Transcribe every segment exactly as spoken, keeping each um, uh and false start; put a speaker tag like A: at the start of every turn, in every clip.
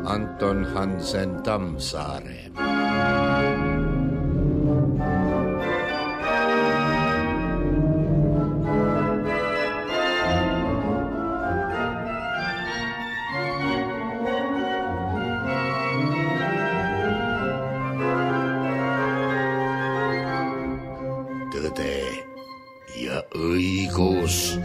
A: Anton Hansen Tammsaare. Tõde ja õigus.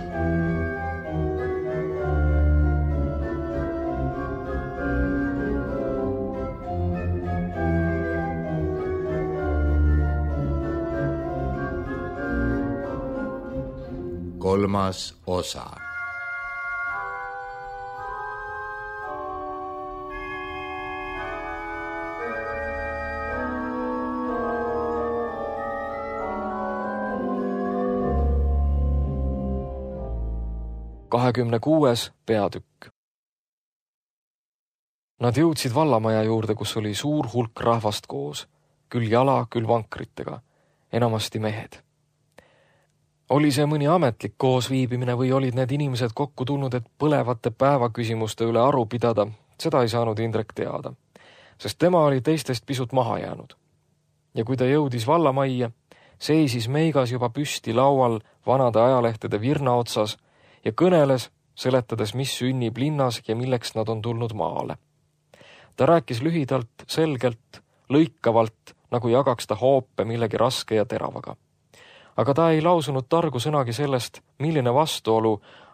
A: Kolmas osa.
B: kahekümne kuues peatükk. Nad jõudsid vallamaja juurde, kus oli suur hulk rahvast koos, küll jala, küll vankritega, enamasti mehed. Oli see mõni ametlik koosviibimine või olid need inimesed kokku tulnud, et põlevate päevaküsimuste üle aru pidada, seda ei saanud Indrek teada, sest tema oli teistest pisut maha jäänud. Ja kui ta jõudis vallamajja, seisis Meigas juba püsti laual vanade ajalehtede virna otsas ja kõneles, seletades, mis sünnib linnas ja milleks nad on tulnud maale. Ta rääkis lühidalt, selgelt, lõikavalt, nagu jagaks ta hoope millegi raske ja teravaga. Aga ta ei lausunud targu sõnagi sellest, milline vastuolu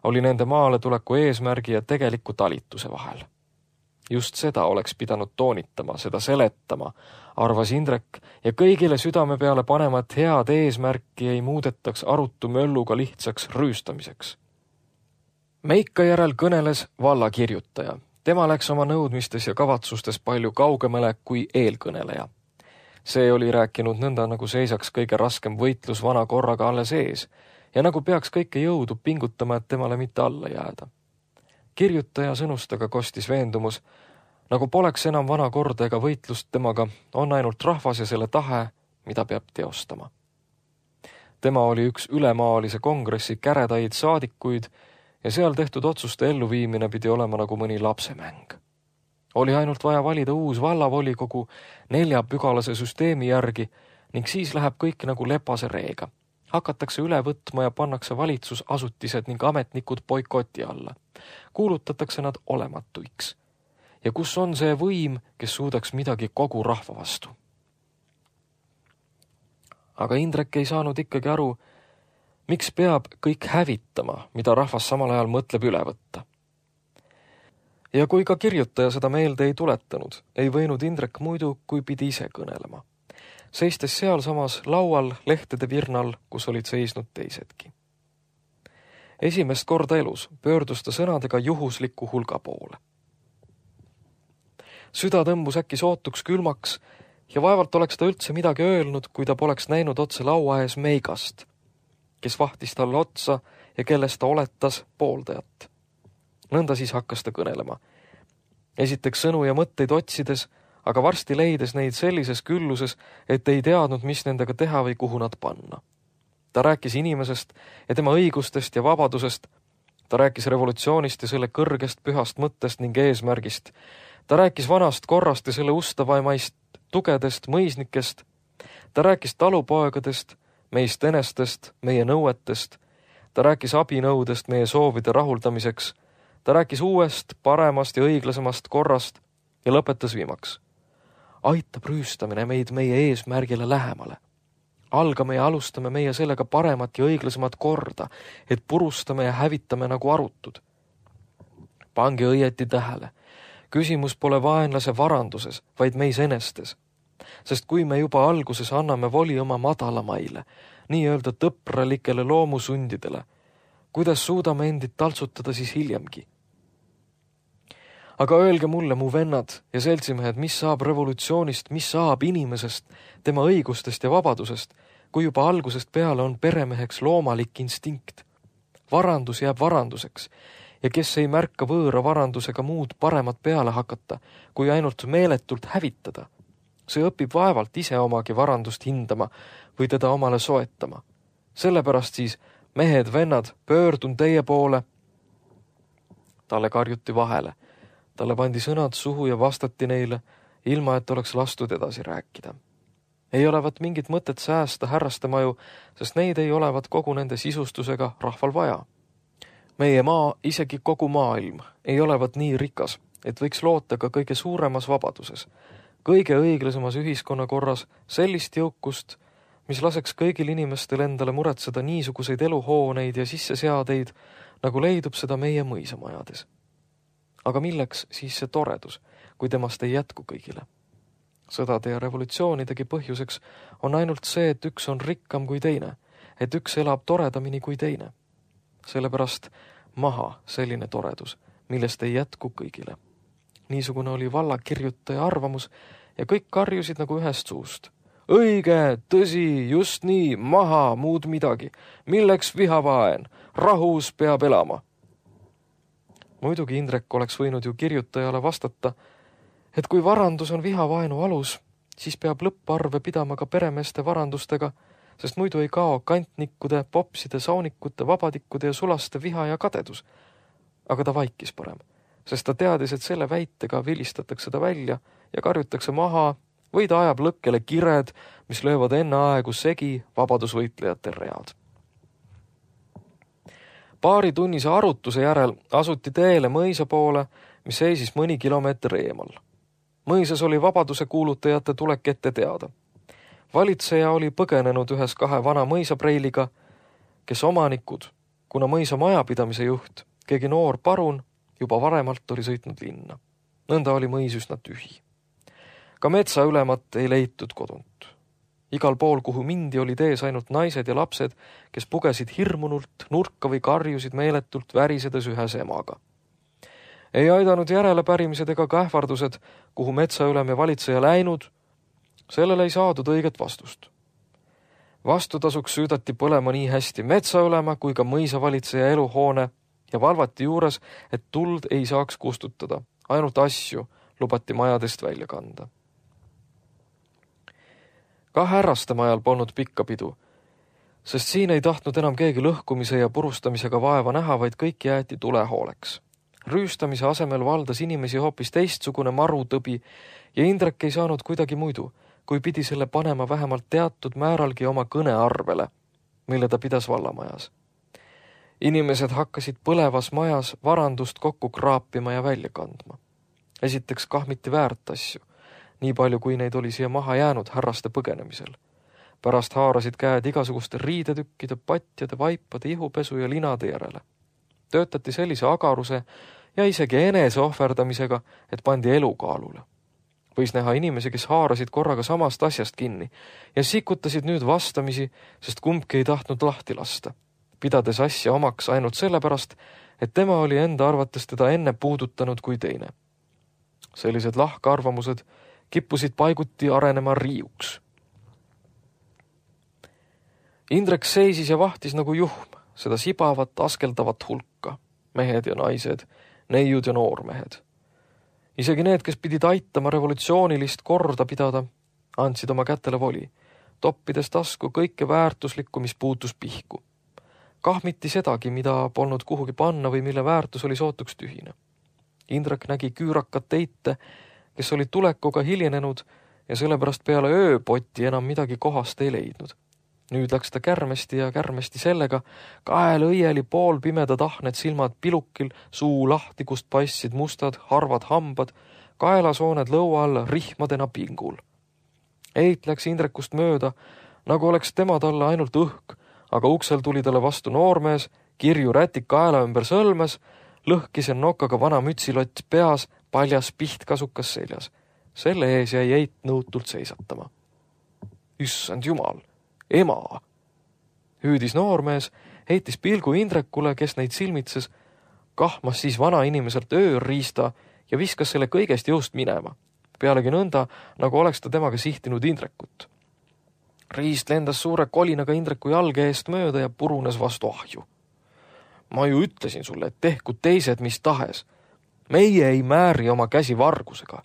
B: oli nende maale tuleku eesmärgi ja tegeliku talituse vahel. Just seda oleks pidanud toonitama, seda seletama, arvas Indrek, ja kõigile südame peale panema, et head eesmärki ei muudetaks arutu mölluga lihtsaks rüüstamiseks. Meika järel kõneles vallakirjutaja. Tema läks oma nõudmistes ja kavatsustes palju kaugemale kui eelkõneleja. See oli rääkinud nõnda, nagu seisaks kõige raskem võitlus vana korraga alles ees ja nagu peaks kõike jõudu pingutama, et temale mitte alla jääda. Kirjutaja sõnustaga kostis veendumus, nagu poleks enam vana korda ega võitlust temaga, on ainult rahvas ja selle tahe, mida peab teostama. Tema oli üks ülemaalise kongressi käredaid saadikuid ja seal tehtud otsuste elluviimine pidi olema nagu mõni lapsemäng. Oli ainult vaja valida uus vallavolikogu neljapügalase süsteemi järgi ning siis läheb kõik nagu lepase reega. Hakatakse üle võtma ja pannakse valitsusasutised ning ametnikud boikoti alla. Kuulutatakse nad olematuiks. Ja kus on see võim, kes suudaks midagi kogu rahva vastu? Aga Indrek ei saanud ikkagi aru, miks peab kõik hävitama, mida rahvas samal ajal mõtleb üle võtta. Ja kui ka kirjutaja seda meelde ei tuletanud, ei võinud Indrek muidu, kui pidi ise kõnelema. Seistes seal samas laual lehtede virnal, kus olid seisnud teisedki. Esimest korda elus pöördus ta sõnadega juhusliku hulga poole. Süda tõmbus äkki sootuks külmaks ja vaevalt oleks ta üldse midagi öelnud, kui ta poleks näinud otse laua ees Meigast, kes vahtis talle otsa ja kellest ta oletas pooldajat. Nõnda siis hakkas ta kõnelema. Esiteks sõnu ja mõtteid otsides, aga varsti leides neid sellises külluses, et ei teadnud, mis nendega teha või kuhu nad panna. Ta rääkis inimesest ja tema õigustest ja vabadusest. Ta rääkis revolutsioonist ja selle kõrgest pühast mõttest ning eesmärgist. Ta rääkis vanast korrast ja selle ustavaimaist tugedest mõisnikest. Ta rääkis talupoegadest, meist enestest, meie nõuetest. Ta rääkis abinõudest meie soovide rahuldamiseks. Ta rääkis uuest, paremast ja õiglasemast korrast ja lõpetas viimaks. Aitab rüüstamine meid meie eesmärgile lähemale. Algame ja alustame meie sellega paremat ja õiglasemat korda, et purustame ja hävitame nagu arutud. Pange õieti tähele. Küsimus pole vaenlase varanduses, vaid meis enestes. Sest kui me juba alguses anname voli oma madalamaile, nii-öelda tõpralikele loomusundidele, kuidas suudame endid taltsutada siis hiljemgi? Aga öelge mulle, mu vennad ja seltsimehed, mis saab revolutsioonist, mis saab inimesest, tema õigustest ja vabadusest, kui juba algusest peale on peremeheks loomalik instinkt. Varandus jääb varanduseks ja kes ei märka võõra varandusega muud paremat peale hakata, kui ainult meeletult hävitada, See õpib vaevalt ise omagi varandust hindama või teda omale soetama. Sellepärast siis, mehed, vennad, pöördun teie poole. Talle karjuti vahele. Talle pandi sõnad suhu ja vastati neile, ilma et oleks lastud edasi rääkida. Ei olevat mingit mõtet säästa härraste maju, sest neid ei olevat kogu nende sisustusega rahval vaja. Meie maa, isegi kogu maailm, ei olevat nii rikas, et võiks loota ka kõige suuremas vabaduses, kõige õiglasemas ühiskonnakorras sellist jõukust, mis laseks kõigil inimestel endale muretseda niisuguseid eluhooneid ja sisseseadeid, nagu leidub seda meie mõisamajades. Aga milleks siis see toredus, kui temast ei jätku kõigile? Sõdade ja revolutsioonidegi põhjuseks on ainult see, et üks on rikkam kui teine, et üks elab toredamini kui teine. Sellepärast maha selline toredus, millest ei jätku kõigile. Niisugune oli vallakirjutaja arvamus ja kõik karjusid nagu ühest suust. Õige, tõsi, just nii, maha, muud midagi. Milleks vihavaen? Rahus peab elama. Muidugi Indrek oleks võinud ju kirjutajale vastata, et kui varandus on vihavaenu alus, siis peab lõpparve pidama ka peremeeste varandustega, sest muidu ei kao kantnikkude, popside, saunikute, vabadikkude ja sulaste viha ja kadedus. Aga ta vaikis parem, sest ta teadis, et selle väitega vilistatakse ta välja ja karjutakse maha või ta ajab lõkkele kired, mis löövad enne aegu segi vabadusvõitlejate read. Paari tunnise arutuse järel asuti teele mõisa poole, mis seisis mõni kilomeeter eemal. Mõisas oli vabaduse kuulutajate tulek ette teada. Valitseja oli põgenenud ühes kahe vana mõisapreiliga, kes omanikud, kuna mõisa majapidamise juht, keegi noor parun, juba varemalt oli sõitnud linna. Nõnda oli mõis üsna tühi. Ka metsaülemat ei leitud kodunt. Igal pool, kuhu mindi, olid ees ainult naised ja lapsed, kes pugesid hirmunult, nurka või karjusid meeletult värisedes ühes emaga. Ei aidanud järelepärimised ega kähvardused, kuhu metsaülem ja valitseja läinud, sellele ei saadud õiget vastust. Vastutasuks süüdati põlema nii hästi metsaülema kui ka mõisavalitseja eluhoone ja valvati juures, et tuld ei saaks kustutada, ainult asju lubati majadest välja kanda. Ka härraste majal polnud pikka pidu, sest siin ei tahtnud enam keegi lõhkumise ja purustamisega vaeva näha, vaid kõik jäeti tulehooleks. Rüüstamise asemel valdas inimesi hoopis teistsugune marutõbi ja Indrek ei saanud kuidagi muidu, kui pidi selle panema vähemalt teatud määralgi oma kõnearvele, mille ta pidas vallamajas. Inimesed hakkasid põlevas majas varandust kokku kraapima ja välja kandma. Esiteks kahmiti väärt asju, nii palju kui neid oli siia maha jäänud härraste põgenemisel. Pärast haarasid käed igasuguste riidetükkide, patjade, vaipade, ihupesu ja linade järele. Töötati sellise agaruse ja isegi enese ohverdamisega, et pandi elukaalule. Võis näha inimesi, kes haarasid korraga samast asjast kinni ja sikutasid nüüd vastamisi, sest kumbki ei tahtnud lahti lasta, pidades asja omaks ainult sellepärast, et tema oli enda arvates teda enne puudutanud kui teine. Sellised lahkarvamused kippusid paiguti arenema riiuks. Indrek seisis ja vahtis nagu juhm, seda sibavat, askeldavat hulka, mehed ja naised, neiud ja noormehed. Isegi need, kes pidid aitama revolutsioonilist korda pidada, andsid oma kätele voli, toppides tasku kõike väärtuslikku, mis puutus pihku. Kahmiti sedagi, mida polnud kuhugi panna või mille väärtus oli sootuks tühine. Indrek nägi küürakat teite, kes olid tulekuga hiljenenud ja sellepärast peale ööpotti enam midagi kohast ei leidnud. Nüüd läks ta kärmesti ja kärmesti sellega, kael õieli pool pimedad ahned silmad pilukil, suu lahti, kust paistsid mustad, harvad hambad, kaelasooned lõua all rihmadena pingul. Eit läks Indrekust mööda, nagu oleks tema talle ainult õhk, aga uksel tuli talle vastu noormees, kirju rätik kaela ümber sõlmes, lõhkis en nokaga vana mütsilott peas, paljas pihtkasukas seljas. Selle ees jäi Eit nõutult seisatama. Issand jumal! Ema! Hüüdis noormees, heitis pilgu Indrekule, kes neid silmitses, kahmas siis vana inimeselt ööriista ja viskas selle kõigest jõust minema. Pealegi nõnda, nagu oleks ta temaga sihtinud Indrekut. Riist lendas suure kolinaga Indreku jalge eest mööda ja purunes vastu ahju. Ma ju ütlesin sulle, et tehku teised mis tahes. Meie ei määri oma käsi vargusega.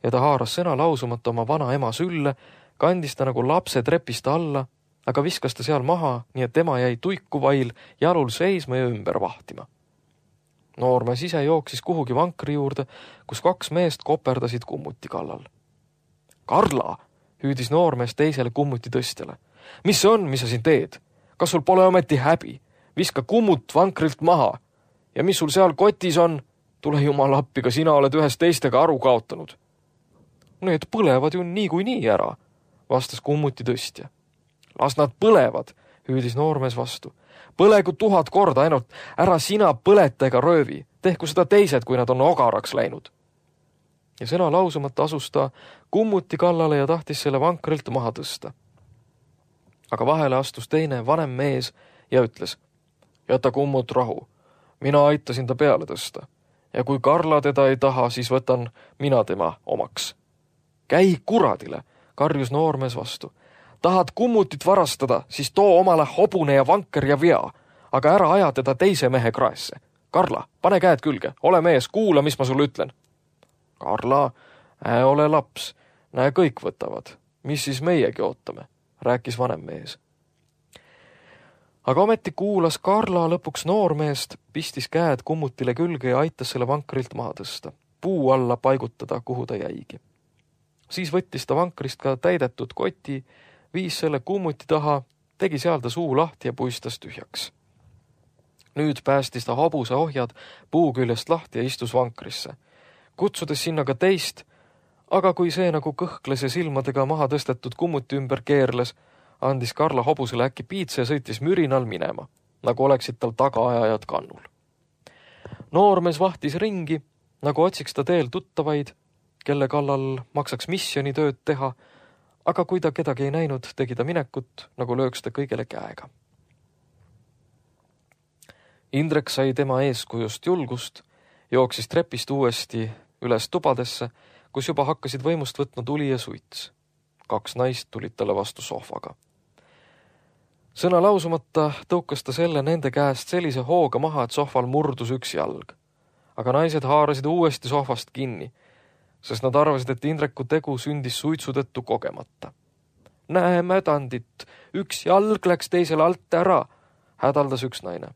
B: ja ta haaras sõna lausumata oma vana ema sülle, kandis ta nagu lapse trepist alla, aga viskas ta seal maha, nii et ema jäi tuiku vail jalul seisma ja ümber vahtima. Noormees ise jooksis kuhugi vankri juurde, kus kaks meest koperdasid kummuti kallal. Karla, hüüdis noormees teisele kummuti tõstjale. Mis see on, mis sa siin teed? Kas sul pole ometi häbi? Viska kummut vankrilt maha. Ja mis sul seal kotis on? Tule jumal appi, ka sina oled ühest teistega aru kaotanud. Need põlevad ju niikuinii ära, vastas kummuti tõstja. Las nad põlevad, hüüdis noormees vastu. Põlegu tuhat korda ainult, ära sina põleta ega röövi, tehku seda teised, kui nad on ogaraks läinud. Ja sõna lausumata asus ta kummuti kallale ja tahtis selle vankrilt maha tõsta. Aga vahele astus teine vanem mees ja ütles, jäta kummut rahu, mina aitasin ta peale tõsta. Ja kui Karla teda ei taha, siis võtan mina tema omaks. Käi kuradile, karjus noormees vastu. Tahad kummutit varastada, siis too omale hobune ja vanker ja vea, aga ära aja teda teise mehe kraesse. Karla, pane käed külge, ole mees, kuula, mis ma sulle ütlen. Karla, ää ole laps, näe kõik võtavad. Mis siis meiegi ootame, rääkis vanem mees. Aga ometi kuulas Karla lõpuks noormeest, pistis käed kummutile külge ja aitas selle vankrilt maha tõsta, puu alla paigutada, kuhu ta jäigi. Siis võttis ta vankrist ka täidetud koti, viis selle kummuti taha, tegi seal ta suu lahti ja puistas tühjaks. Nüüd päästis ta hobuse ohjad puu küljest lahti ja istus vankrisse, kutsudes sinna ka teist, aga kui see nagu kõhkles ja silmadega maha tõstetud kummuti ümber keerles, andis Karla hobusele äkki piitse ja sõitis mürinal minema, nagu oleksid tal tagaajajad kannul. Noormees vahtis ringi, nagu otsiks ta teel tuttavaid, kelle kallal maksaks missionitööd teha, aga kui ta kedagi ei näinud, tegi ta minekut, nagu lööks ta kõigele käega. Indrek sai tema eeskujust julgust, jooksis trepist uuesti üles tubadesse, kus juba hakkasid võimust võtma tuli ja suits. Kaks naist tulid talle vastu sohvaga. Sõna lausumata tõukas ta selle nende käest sellise hooga maha, et sohval murdus üks jalg. Aga naised haarasid uuesti sohvast kinni, sest nad arvasid, et Indreku tegu sündis suitsudettu kogemata. Näe mädandit, üks jalg läks teisele alt ära, hädaldas üks naine.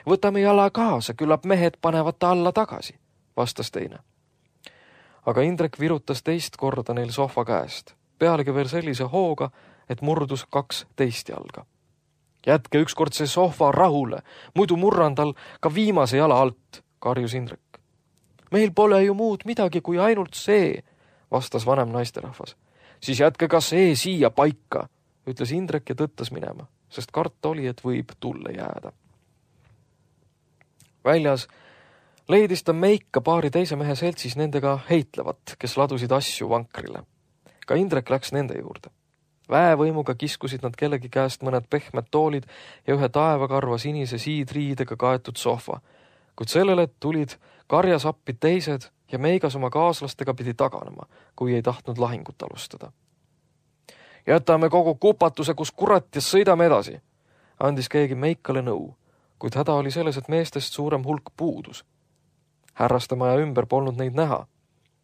B: Võtame jala kaasa, küllap mehed panevad ta alla tagasi, vastas teine. Aga Indrek virutas teist korda neil sohva käest, pealegi veel sellise hooga, et murdus kaks teist jalga. Jätke ükskord see sohva rahule, muidu murran tal ka viimase jala alt, karjus Indrek. Meil pole ju muud midagi kui ainult see, vastas vanem naisterahvas. Siis jätke ka see siia paika, ütles Indrek ja tõttas minema, sest karta oli, et võib tulle jääda. Väljas leidis ta Meika paari teise mehe seltsis nendega heitlevat, kes ladusid asju vankrile. Ka Indrek läks nende juurde. Väevõimuga kiskusid nad kellegi käest mõned pehmed toolid ja ühe taevakarva sinise siidriidega kaetud sohva, kuid sellele tulid karjas appi teised ja Meigas oma kaaslastega pidi taganema, kui ei tahtnud lahingut alustada. Jätame kogu kupatuse, kus kurat ja sõidame edasi, andis keegi Meikale nõu, kuid häda oli selles, et meestest suurem hulk puudus. Härrastemaja ümber polnud neid näha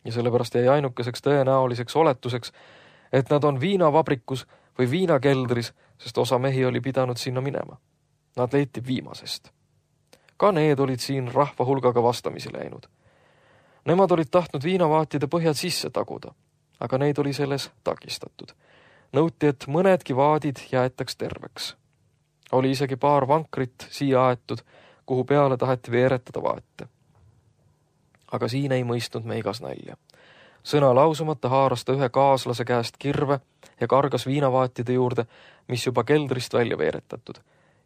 B: ja sellepärast jäi ainukeseks tõenäoliseks oletuseks, et nad on viinavabrikus või viinakeldris, sest osa mehi oli pidanud sinna minema. Nad leiti viimasest. Ka need olid siin rahva hulgaga vastamisi läinud. Nemad olid tahtnud viinavaatide põhjad sisse taguda, aga neid oli selles takistatud. Nõuti, et mõnedki vaadid jäetaks terveks. Oli isegi paar vankrit siia aetud, kuhu peale taheti veeretada vaate. Aga siin ei mõistnud Meigas nalja. Sõna lausumata haaras ta ühe kaaslase käest kirve ja kargas viinavaatide juurde, mis juba keldrist välja veeretatud.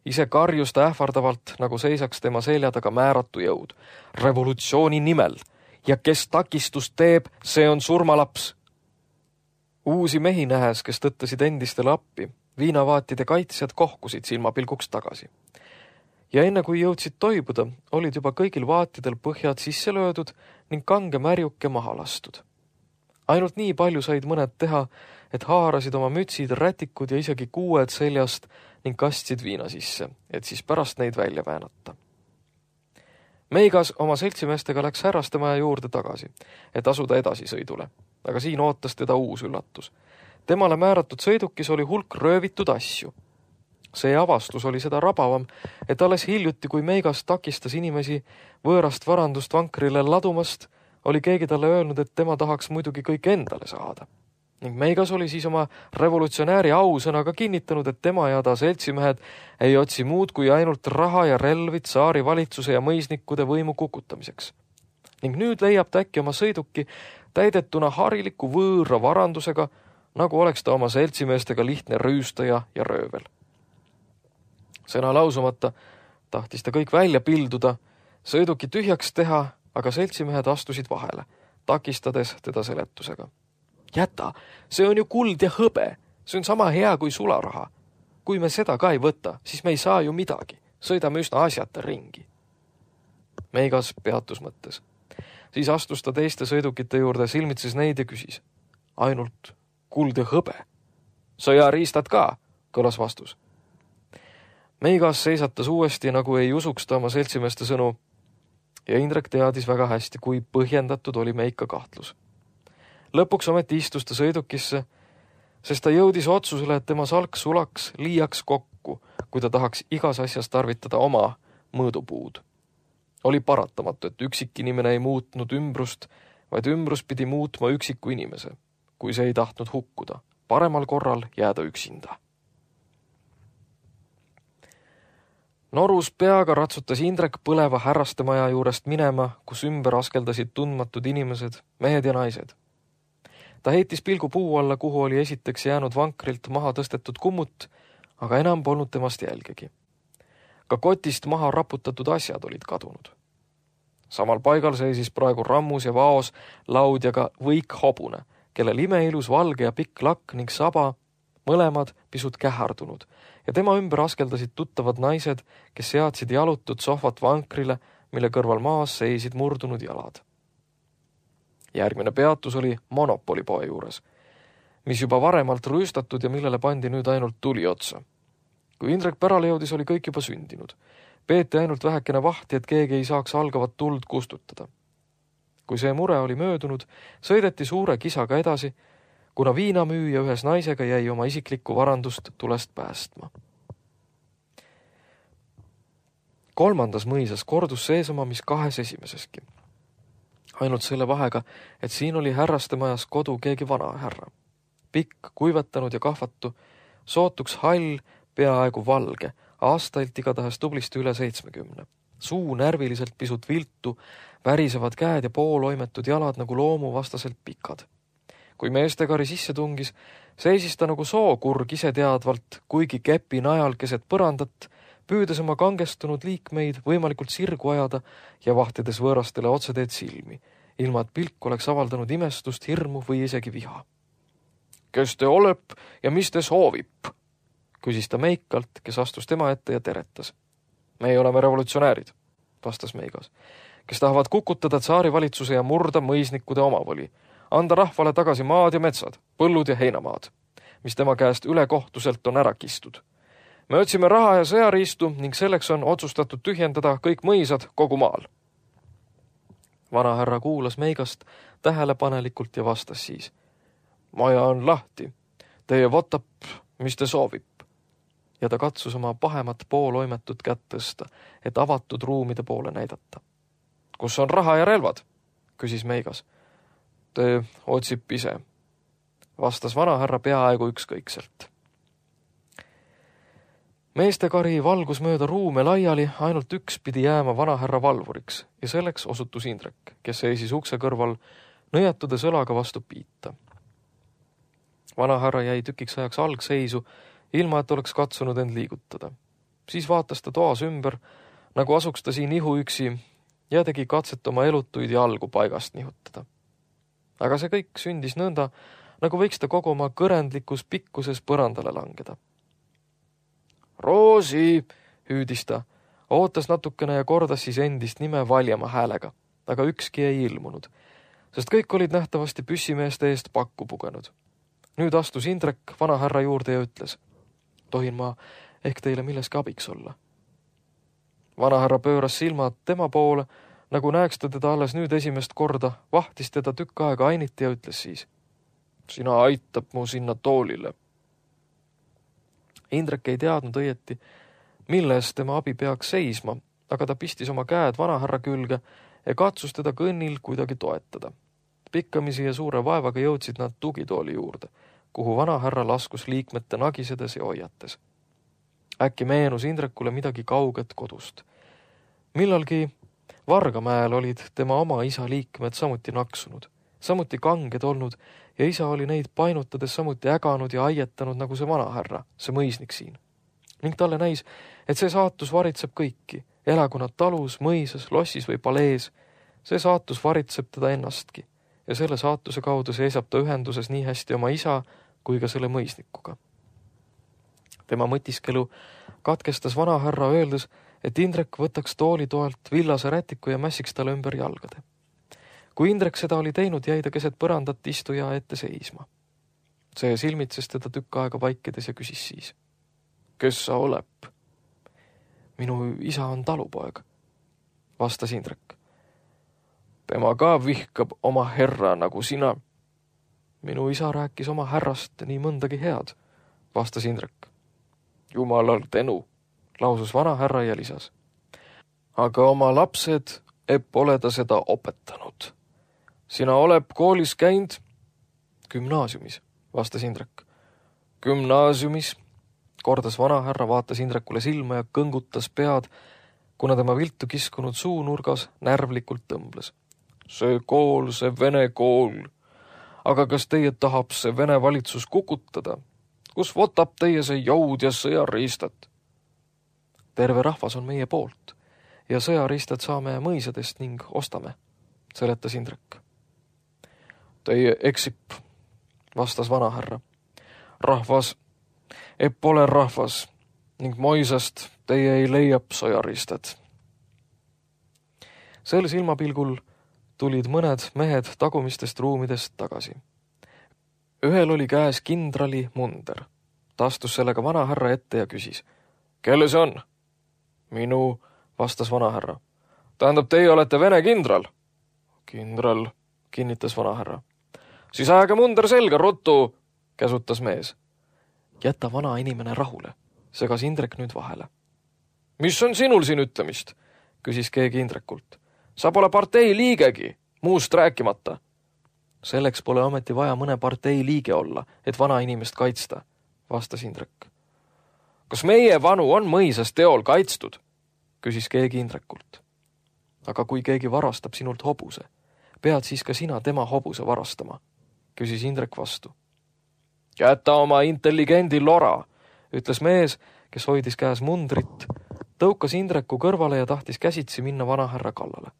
B: Ise karjus ta ähvardavalt, nagu seisaks tema selja taga määratu jõud. Revolutsiooni nimel ja kes takistust teeb, see on surmalaps. Uusi mehi nähes, kes tõttasid endistele appi, viinavaatide kaitsjad kohkusid silmapilguks tagasi. Ja enne kui jõudsid toibuda, olid juba kõigil vaatidel põhjad sisse löödud ning kange märjuke maha lastud. Ainult nii palju said mõned teha, et haarasid oma mütsid, rätikud ja isegi kuued seljast ning kastsid viina sisse, et siis pärast neid välja väänata. Meigas oma seltsimeestega läks härrastemaja juurde tagasi, et asuda edasi sõidule. aga siin ootas teda uus üllatus. Temale määratud sõidukis oli hulk röövitud asju. See avastus oli seda rabavam, et alles hiljuti, kui Meigas takistas inimesi võõrast varandust vankrile ladumast, oli keegi talle öelnud, et tema tahaks muidugi kõik endale saada. Ning Meigas oli siis oma revolutsionääri ausõnaga kinnitanud, et tema ja ta seltsimehed ei otsi muud kui ainult raha ja relvid saari valitsuse ja mõisnikude võimu kukutamiseks. Ning nüüd leiab ta äkki oma sõiduki täidetuna hariliku võõra varandusega, nagu oleks ta oma seltsimeestega lihtne rüüstaja ja röövel. Sõna lausumata tahtis ta kõik välja pilduda, sõiduki tühjaks teha, aga seltsimehed astusid vahele, takistades teda seletusega. Jäta, see on ju kuld ja hõbe, see on sama hea kui sularaha. Kui me seda ka ei võta, siis me ei saa ju midagi, sõidame üsna asjata ringi. Meigas peatus mõttes. Siis astus ta teiste sõidukite juurde, silmitses neid ja küsis. Ainult kuld ja hõbe. Sõjariistad ka, kõlas vastus. Meigas seisatas uuesti, nagu ei usuks ta oma seltsimeeste sõnu, ja Indrek teadis väga hästi, kui põhjendatud oli Meika kahtlus. Lõpuks ometi istus ta sõidukisse, sest ta jõudis otsusele, et tema salk sulaks liiaks kokku, kui ta tahaks igas asjas tarvitada oma mõõdupuud. Oli paratamatu, et üksik inimene ei muutnud ümbrust, vaid ümbrus pidi muutma üksiku inimese, kui see ei tahtnud hukkuda, paremal korral jääda üksinda. Norus peaga ratsutas Indrek põleva härrastemaja juurest minema, kus ümber askeldasid tundmatud inimesed, mehed ja naised. Ta heitis pilgu puu alla, kuhu oli esiteks jäänud vankrilt maha tõstetud kummut, aga enam polnud temast jälgegi. Ka kotist maha raputatud asjad olid kadunud. Samal paigal seisis praegu rammus ja vaos laudjaga võik hobune, kellel imeilus valge ja pikk lakk ning saba, mõlemad pisut kähardunud, ja tema ümber askeldasid tuttavad naised, kes seadsid jalutud sohvat vankrile, mille kõrval maas seisid murdunud jalad. Järgmine peatus oli monopolipoe juures, mis juba varemalt rüüstatud ja millele pandi nüüd ainult tuli otsa. Kui Indrek pärale jõudis, oli kõik juba sündinud. Peeti ainult vähekene vahti, et keegi ei saaks algavat tuld kustutada. Kui see mure oli möödunud, sõideti suure kisaga edasi, kuna viinamüüja ühes naisega jäi oma isiklikku varandust tulest päästma. Kolmandas mõisas kordus seesama, mis kahes esimeseski. Ainult selle vahega, et siin oli härrastemajas kodu keegi vana härra. Pikk, kuivetanud ja kahvatu, sootuks hall, peaaegu valge, aastailt igatahes tublisti üle seitsmekümne. Suu närviliselt pisut viltu, värisevad käed ja pooloimetud jalad nagu loomu vastaselt pikad. Kui meestekari sisse tungis, seisis ta nagu sookurg ise teadvalt, kuigi kepi najal keset põrandat, püüdes oma kangestunud liikmeid võimalikult sirgu ajada ja vahtides võõrastele otseteed silmi, ilma et pilk oleks avaldanud imestust, hirmu või isegi viha. Kes te olep ja mis te soovib? Küsis ta Meikalt, kes astus tema ette ja teretas. Me oleme revolutsionäärid, vastas Meigas, kes tahavad kukutada tsaari valitsuse ja murda mõisnikude omavoli, anda rahvale tagasi maad ja metsad, põllud ja heinamaad, mis tema käest ülekohtuselt on ära kistud. Me otsime raha ja sõjariistu ning selleks on otsustatud tühjendada kõik mõisad kogu maal. Vanahärra kuulas Meigast tähelepanelikult ja vastas siis. Maja on lahti. Teie võtab, mis te soovib. Ja ta katsus oma pahemat pooloimetut kätt tõsta, et avatud ruumide poole näidata. Kus on raha ja relvad? Küsis Meigas. Te otsib ise. Vastas vanahärra peaaegu ükskõikselt. Meestekari valgus mööda ruume laiali, ainult üks pidi jääma vanahärra valvuriks ja selleks osutus Indrek, kes seisis ukse kõrval, nõjatudes õlaga vastu piita. Vanahärra jäi tükiks ajaks algseisu, ilma et oleks katsunud end liigutada. Siis vaatas ta toas ümber, nagu asuks ta siin ihu üksi ja tegi katset oma elutuid ja algu paigast nihutada. Aga see kõik sündis nõnda, nagu võiks ta kogu oma kõrendlikus pikkuses põrandale langeda. Roosi, hüüdis ta, ootas natukene ja kordas siis endist nime valjama häälega, aga ükski ei ilmunud, sest kõik olid nähtavasti püssimeeste eest pakku pugenud. Nüüd astus Indrek vanahärra juurde ja ütles, tohin ma ehk teile milleski abiks olla. Vanahärra pööras silmad tema poole, nagu näeks ta teda alles nüüd esimest korda, vahtis teda tükk aega ainiti ja ütles siis, Sina aitab mu sinna toolile. Indrek ei teadnud õieti, milles tema abi peaks seisma, aga ta pistis oma käed vanahärra külge ja katsus teda kõnnil kuidagi toetada. Pikkamisi ja suure vaevaga jõudsid nad tugitooli juurde, kuhu vanahärra laskus liikmete nagisedes ja hoiates. Äkki meenus Indrekule midagi kauget kodust. Millalgi Vargamäel olid tema oma isa liikmed samuti naksunud, samuti kanged olnud ja isa oli neid painutades samuti äganud ja aietanud nagu see vanahärra, see mõisnik siin. Ning talle näis, et see saatus varitseb kõiki, elagu nad talus, mõisas, lossis või palees. See saatus varitseb teda ennastki ja selle saatuse kaudu seisab ta ühenduses nii hästi oma isa kui ka selle mõisnikuga. Tema mõtiskelu katkestas vanahärra öeldes, et Indrek võtaks tooli toelt villase rätiku ja mässiks talle ümber jalgade. Kui Indrek seda oli teinud, jäi ta keset põrandat istuja ette seisma. See silmitses teda tükk aega vaikides ja küsis siis. Kes sa oleb? Minu isa on talupoeg, vastas Indrek. Tema ka vihkab oma herra nagu sina. Minu isa rääkis oma härrast nii mõndagi head, vastas Indrek. Jumalal tänu, lausus vanahärra ja lisas. Aga oma lapsed epp ole ta seda opetanud. Sina oleb koolis käinud? Gümnaasiumis, vastas Indrek. Gümnaasiumis, kordas vanahärra, vaatas Indrekule silma ja kõngutas pead, kuna tema viltu kiskunud suunurgas närvlikult tõmbles. See kool, see vene kool. Aga kas teie tahab see vene valitsus kukutada? Kus võtab teie see jõud ja sõjariistat? Terve rahvas on meie poolt ja sõjariistat saame mõisadest ning ostame, seletas Indrek. Teie eksip, vastas vanahärra. Rahvas epp ole rahvas ning moisast teie ei leiab sõjariistat. Sel silmapilgul tulid mõned mehed tagumistest ruumidest tagasi. Ühel oli käes kindrali munder. Ta astus sellega vanahärra ette ja küsis. Kelle see on? Minu, vastas vanahärra. Tähendab, teie olete vene kindral? Kindral, kinnitas vanahärra. Siis aega munder selga, ruttu, käsutas mees. Jäta vana inimene rahule, segas Indrek nüüd vahele. Mis on sinul siin ütlemist? Küsis keegi Indrekult. Sa pole partei liigegi, muust rääkimata. Selleks pole ometi vaja mõne partei liige olla, et vana inimest kaitsta, vastas Indrek. Kas meie vanu on mõisas teol kaitstud? Küsis keegi Indrekult. Aga kui keegi varastab sinult hobuse, pead siis ka sina tema hobuse varastama, küsis Indrek vastu. Jäta oma intelligendi lora, ütles mees, kes hoidis käes mundrit, tõukas Indreku kõrvale ja tahtis käsitsi minna vanahärra kallale.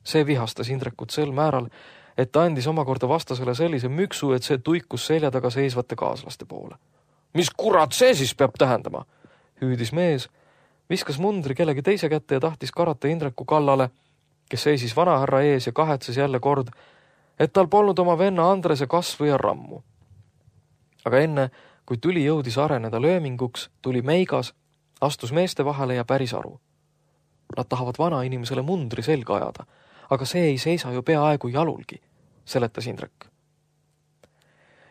B: See vihastas Indrekut sel määral, et ta andis omakorda vastasele sellise müksu, et see tuikus selja taga seisvate kaaslaste poole. Mis kurat see siis peab tähendama? Hüüdis mees, viskas mundri kellegi teise kätte ja tahtis karata Indreku kallale, kes seisis vanahärra ees ja kahetses jälle kord, et tal polnud oma venna Andrese kasvu ja rammu. Aga enne, kui tüli jõudis areneda lööminguks, tuli meigas, astus meeste vahele ja päris aru. Nad tahavad vana inimesele mundri selga ajada, aga see ei seisa ju peaaegu jalulgi, seletas Indrek.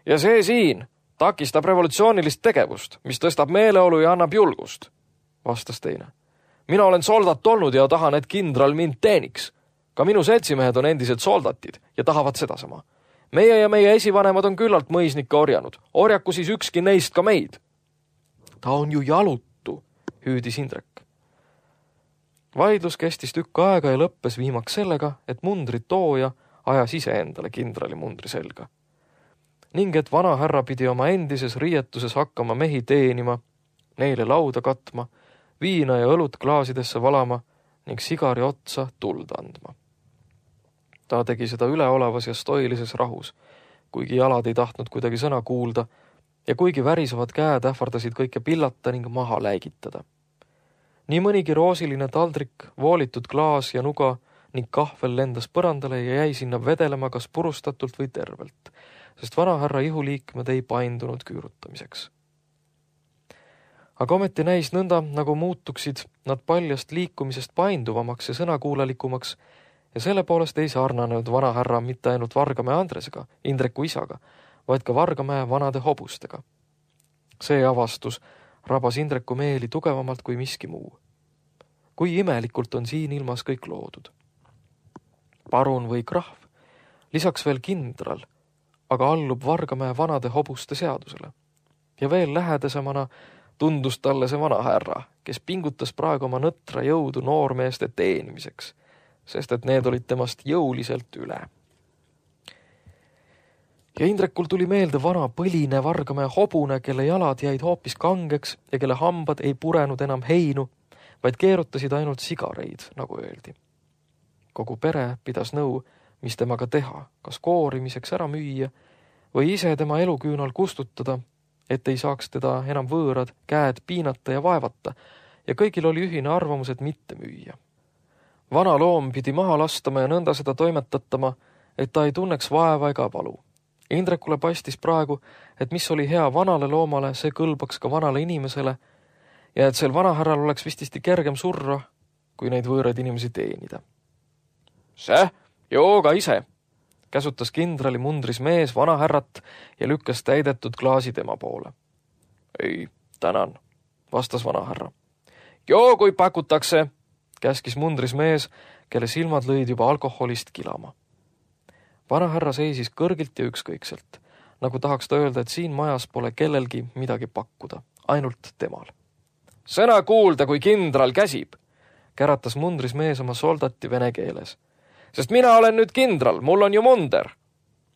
B: Ja see siin takistab revolutsioonilist tegevust, mis tõstab meeleolu ja annab julgust, vastas teine. Mina olen soldat olnud ja tahan, et kindral mind teeniks. Ka minu seltsimehed on endised soldatid ja tahavad sedasama. Meie ja meie esivanemad on küllalt mõisnikke orjanud. Orjaku siis ükski neist ka meid. Ta on ju jalutu, hüüdis Indrek. Vaidlus kestis tükk aega ja lõppes viimaks sellega, et mundri tooja ajas ise endale kindrali mundri selga. Ning et vanahärra pidi oma endises riietuses hakkama mehi teenima, neile lauda katma, viina ja õlut klaasidesse valama ning sigari otsa tuld andma. Ta tegi seda üleolevas ja stoilises rahus, kuigi jalad ei tahtnud kuidagi sõna kuulda ja kuigi värisevad käed ähvardasid kõike pillata ning maha läigitada. Nii mõnigi roosiline taldrik, voolitud klaas ja nuga ning kahvel lendas põrandale ja jäi sinna vedelema kas purustatult või tervelt, sest vanahärra ihuliikmed ei paindunud küürutamiseks. Aga ometi näis nõnda, nagu muutuksid nad paljast liikumisest painduvamaks ja sõnakuulelikumaks ja selle poolest ei sarnanenud vanahärra mitte ainult Vargamäe Andresega, Indreku isaga, vaid ka Vargamäe vanade hobustega. See avastus rabas Indreku meeli tugevamalt kui miski muu. Kui imelikult on siin ilmas kõik loodud. Parun või krahv, lisaks veel kindral, aga allub Vargamäe vanade hobuste seadusele. Ja veel lähedasemana tundus talle see vana härra, kes pingutas praegu oma nõtra jõudu noormeeste teenimiseks, sest et need olid temast jõuliselt üle. Ja Indrekul tuli meelde vana põline Vargamäe hobune, kelle jalad jäid hoopis kangeks ja kelle hambad ei purenud enam heinu, vaid keerutasid ainult sigareid, nagu öeldi. Kogu pere pidas nõu, mis temaga teha, kas koorimiseks ära müüa või ise tema eluküünal kustutada, et ei saaks teda enam võõrad käed piinata ja vaevata, ja kõigil oli ühine arvamus, et mitte müüa. Vana loom pidi maha lastama ja nõnda seda toimetatama, et ta ei tunneks vaeva ega valu. Indrekule paistis praegu, et mis oli hea vanale loomale, see kõlbaks ka vanale inimesele ja et sel vanahärral oleks vististi kergem surra, kui neid võõraid inimesi teenida. See, joo ka ise, käsutas kindrali mundris mees vanahärrat ja lükkas täidetud klaasi tema poole. Ei, tänan, vastas vanahärra. Joo, kui pakutakse, käskis mundris mees, kelle silmad lõid juba alkoholist kilama. Vanahärra seisis kõrgilt ja ükskõikselt, nagu tahaks ta öelda, et siin majas pole kellelgi midagi pakkuda, ainult temal. Sõna kuulda, kui kindral käsib, käratas mundris mees oma soldati vene keeles. Sest mina olen nüüd kindral, mul on ju munder.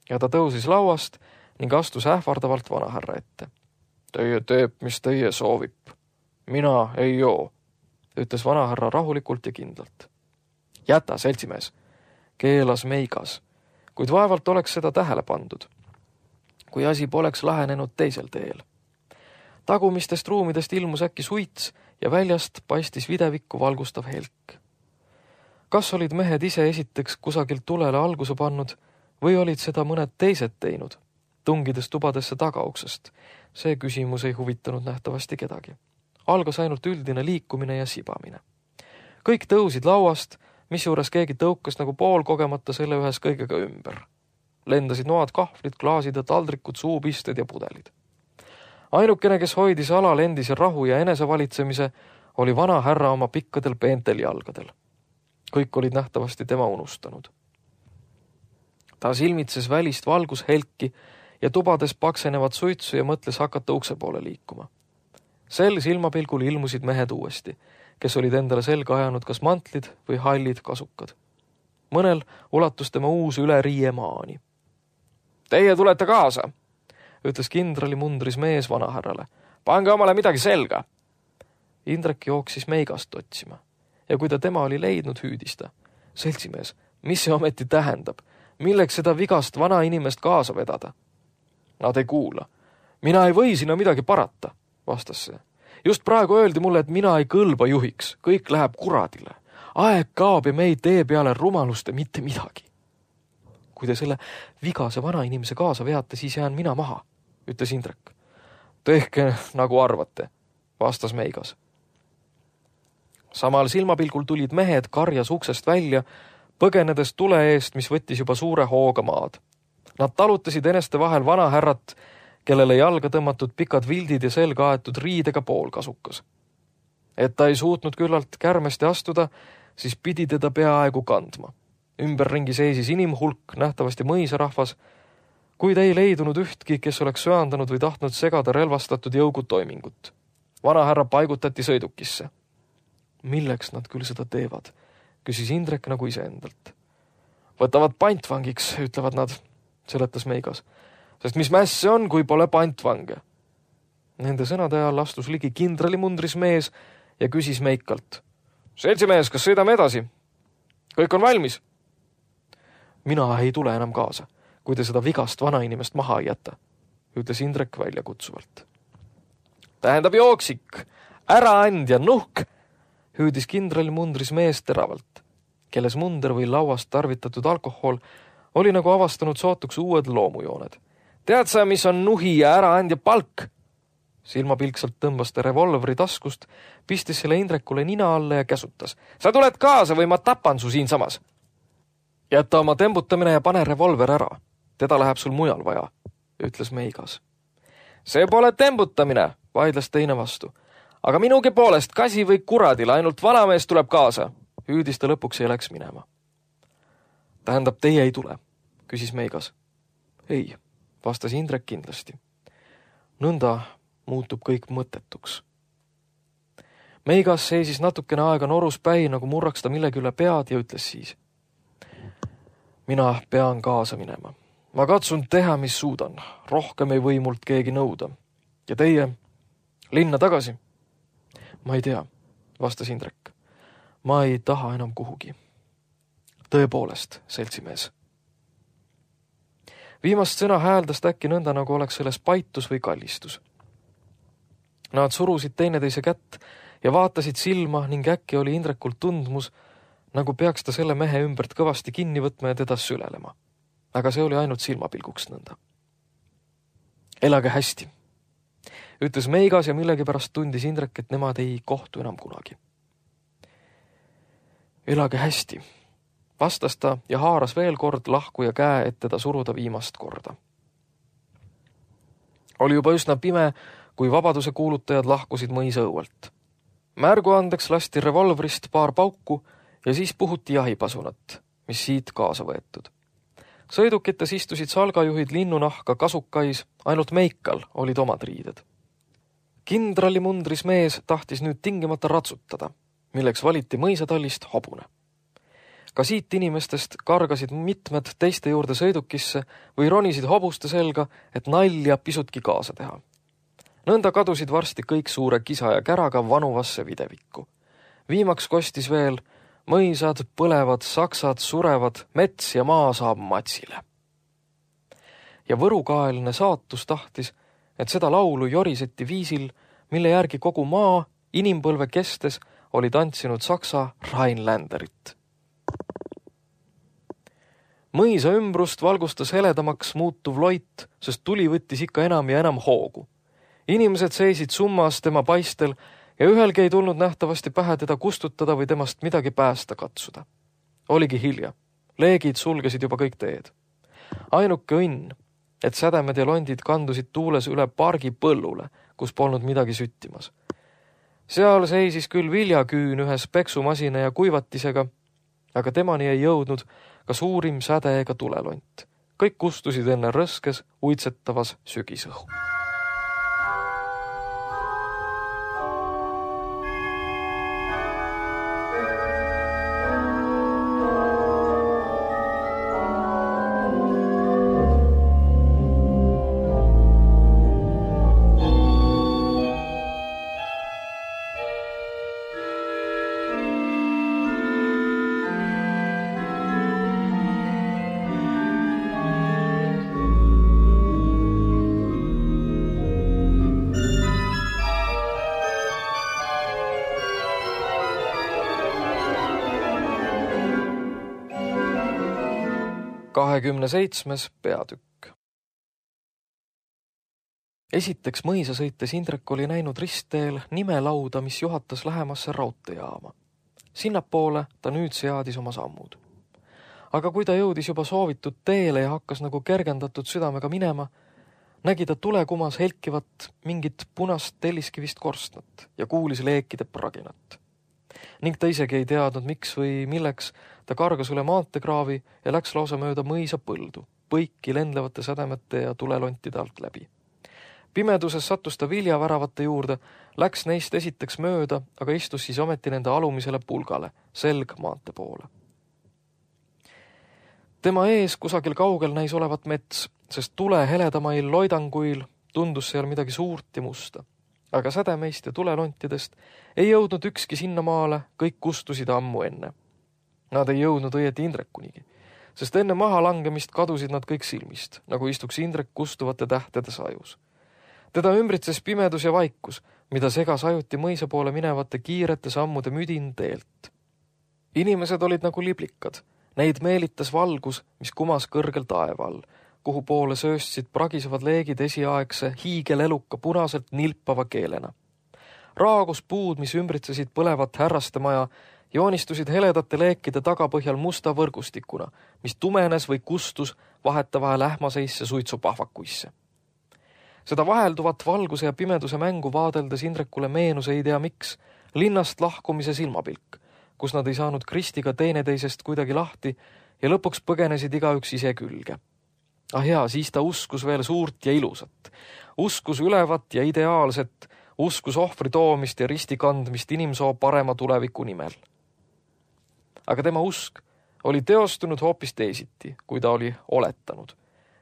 B: Ja ta tõusis lauast ning astus ähvardavalt vanahärra ette. Teie teeb, mis teie soovib. Mina ei joo, ütles vanahärra rahulikult ja kindlalt. Jäta, seltsimees, keelas meigas, kuid vaevalt oleks seda tähele pandud, kui asi poleks lahenenud teisel teel. Tagumistest ruumidest ilmus äkki suits ja väljast paistis videvikku valgustav helk. Kas olid mehed ise esiteks kusagilt tulele alguse pannud või olid seda mõned teised teinud, tungides tubadesse tagauksest? See küsimus ei huvitanud nähtavasti kedagi. Algas ainult üldine liikumine ja sibamine. Kõik tõusid lauast, mis juures keegi tõukas nagu pool kogemata selle ühes kõigega ümber. Lendasid noad, kahvlid, klaasid ja taldrikud, suupisted ja pudelid. Ainukene, kes hoidis alal endise rahu ja enesevalitsemise, oli vana härra oma pikkadel peentel jalgadel. Kõik olid nähtavasti tema unustanud. Ta silmitses välist valgushelki ja tubades paksenevat suitsu ja mõtles hakata ukse poole liikuma. Sel silmapilgul ilmusid mehed uuesti, kes olid endale selga ajanud kas mantlid või hallid kasukad. Mõnel ulatus tema uus üle riie maani. Teie tulete kaasa, ütles kindrali mundris mees vanahärrale. Pange omale midagi selga. Indrek jooksis meigast otsima. Ja kui ta tema oli leidnud, hüüdis ta. Seltsimees, mis see ometi tähendab? Milleks seda vigast vana inimest kaasa vedada? Nad ei kuula. Mina ei või sinna midagi parata, vastas see. Just praegu öeldi mulle, et mina ei kõlba juhiks. Kõik läheb kuradile. Aeg kaob ja me ei tee peale rumalust ja mitte midagi. Kui te selle vigase vana inimese kaasa veate, siis jään mina maha, ütles Indrek. Tehke nagu arvate, vastas meigas. Samal silmapilgul tulid mehed karjas uksest välja, põgenedes tule eest, mis võttis juba suure hooga maad. Nad talutasid eneste vahel vanahärrat, kellele jalga tõmmatud pikad vildid ja selga aetud riidega poolkasukas. Et ta ei suutnud küllalt kärmesti astuda, siis pidi teda peaaegu kandma. Ümberringi seisis inimhulk, nähtavasti mõisarahvas, kuid ei leidunud ühtki, kes oleks söandanud või tahtnud segada relvastatud jõugutoimingut. Vanahärra paigutati sõidukisse. Milleks nad küll seda teevad, küsis Indrek nagu iseendalt. Võtavad pantvangiks, ütlevad nad, seletas meigas, sest mis mäss see on, kui pole pantvange. Nende sõnade ajal astus ligi kindrali mundris mees ja küsis meikalt. Seltsimees, kas sõidame edasi? Kõik on valmis? Mina ei tule enam kaasa, kui te seda vigast vana inimest maha ei jäta, ütles Indrek välja kutsuvalt. Tähendab jooksik, ära and ja nuhk, hüüdis kindrali mundris mees teravalt, kelles munder või lauast tarvitatud alkohol oli nagu avastanud sootuks uued loomujooned. Tead sa, mis on nuhi ja ära and ja palk? Silmapilksalt tõmbas ta revolvri taskust, pistis selle Indrekule nina alla ja käsutas. Sa tuled kaasa või ma tapan su siin samas. Jäta oma tembutamine ja pane revolver ära. Teda läheb sul mujal vaja, ütles Meigas. See pole tembutamine, vaidles teine vastu. Aga minugi poolest kasi või kuradil, ainult vanamees tuleb kaasa. Hüüdis ta lõpuks ja läks minema. Tähendab, teie ei tule, küsis Meigas. Ei, vastas Indrek kindlasti. Nõnda muutub kõik mõttetuks. Meigas seisis natukene aega norus päi, nagu murraks ta millegi üle pead ja ütles siis. Mina pean kaasa minema. Ma katsun teha, mis suudan. Rohkem ei või mult keegi nõuda. Ja teie? Linna tagasi? Ma ei tea, vastas Indrek. Ma ei taha enam kuhugi. Tõepoolest, seltsimees. Viimast sõna hääldast äkki nõnda, nagu oleks selles paitus või kallistus. Nad surusid teineteise kätt ja vaatasid silma ning äkki oli Indrekul tundmus, nagu peaks ta selle mehe ümbert kõvasti kinni võtma ja teda sülelema. Aga see oli ainult silmapilguks nõnda. Elage hästi, ütles Meigas ja millegipärast tundis Indrek, et nemad ei kohtu enam kunagi. Elage hästi, vastas ta ja haaras veel kord lahkuja käe, et teda suruda viimast korda. Oli juba üsna pime, kui vabaduse kuulutajad lahkusid mõisa õuelt. Märgu andeks lasti revolvrist paar pauku ja siis puhuti jahipasunat, mis siit kaasa võetud. Sõidukites istusid salgajuhid linnunahka kasukais, ainult Meikal olid omad riided. Kindrali mundris mees tahtis nüüd tingimata ratsutada, milleks valiti mõisatallist hobune. Ka siit inimestest kargasid mitmed teiste juurde sõidukisse või ronisid hobuste selga, et nalja pisutki kaasa teha. Nõnda kadusid varsti kõik suure kisa ja käraga vanuvasse videvikku. Viimaks kostis veel mõisad, põlevad, saksad, surevad, mets ja maa saab matsile. Ja võrukaeline saatus tahtis, et seda laulu joriseti viisil, mille järgi kogu maa inimpõlve kestes oli tantsinud saksa Rheinländerit. Mõisa ümbrust valgustas heledamaks muutuv loit, sest tuli võttis ikka enam ja enam hoogu. Inimesed seisid summas tema paistel ja ühelgi ei tulnud nähtavasti pähe teda kustutada või temast midagi päästa katsuda. Oligi hilja. Leegid sulgesid juba kõik teed. Ainuke õnn, et sädemed ja londid kandusid tuules üle pargi põllule, kus polnud midagi süttimas. Seal seisis küll viljaküün ühes peksumasina ja kuivatisega, aga temani ei jõudnud ka suurim säde ega tulelont. Kõik kustusid enne rõskes, uitsetavas sügisõhu. kahekümne seitsmes peatükk. Esiteks mõisa sõites Indrek oli näinud ristteel nimelauda, mis juhatas lähemasse raudteejaama. Sinnapoole ta nüüd seadis oma sammud. Aga kui ta jõudis juba soovitud teele ja hakkas nagu kergendatud südamega minema, nägi ta tulekumas helkivat mingit punast telliskivist korstnat ja kuulis leekide praginat. Ning ta isegi ei teadnud, miks või milleks ta kargas üle maantekraavi ja läks lausa mööda mõisa põldu, põiki lendlevate sädemete ja tulelontide alt läbi. Pimeduses sattus ta viljaväravate juurde, läks neist esiteks mööda, aga istus siis ometi nende alumisele pulgale, selg maante poole. Tema ees kusagil kaugel näis olevat mets, sest tule heledamail loidanguil tundus seal midagi suurt ja musta. Aga sädemeist ja tulelontidest ei jõudnud ükski sinnamaale, kõik kustusid ammu enne. Nad ei jõudnud õieti Indrekunigi, sest enne maha langemist kadusid nad kõik silmist, nagu istuks Indrek kustuvate tähtede sajus. Teda ümbritses pimedus ja vaikus, mida segas ajuti mõisa poole minevate kiirete sammude müdin teelt. Inimesed olid nagu liblikad, neid meelitas valgus, mis kumas kõrgel taeval, kuhu poole sööstsid pragisevad leegid esiaegse hiigeleluka punaselt nilpava keelena. Raagus puud, mis ümbritsesid põlevat härraste maja, joonistusid heledate leekide tagapõhjal musta võrgustikuna, mis tumenes või kustus vahetavahel ähmaseisse suitsupahvakuisse. Seda vahelduvat valguse ja pimeduse mängu vaadeldes Indrekule meenus ei tea miks linnast lahkumise silmapilk, kus nad ei saanud Kristiga teineteisest kuidagi lahti ja lõpuks põgenesid igaüks ise külge. Ah jaa, siis ta uskus veel suurt ja ilusat. Uskus ülevat ja ideaalset, uskus ohvri toomist ja risti kandmist inimsoo parema tuleviku nimel. Aga tema usk oli teostunud hoopis teisiti, kui ta oli oletanud.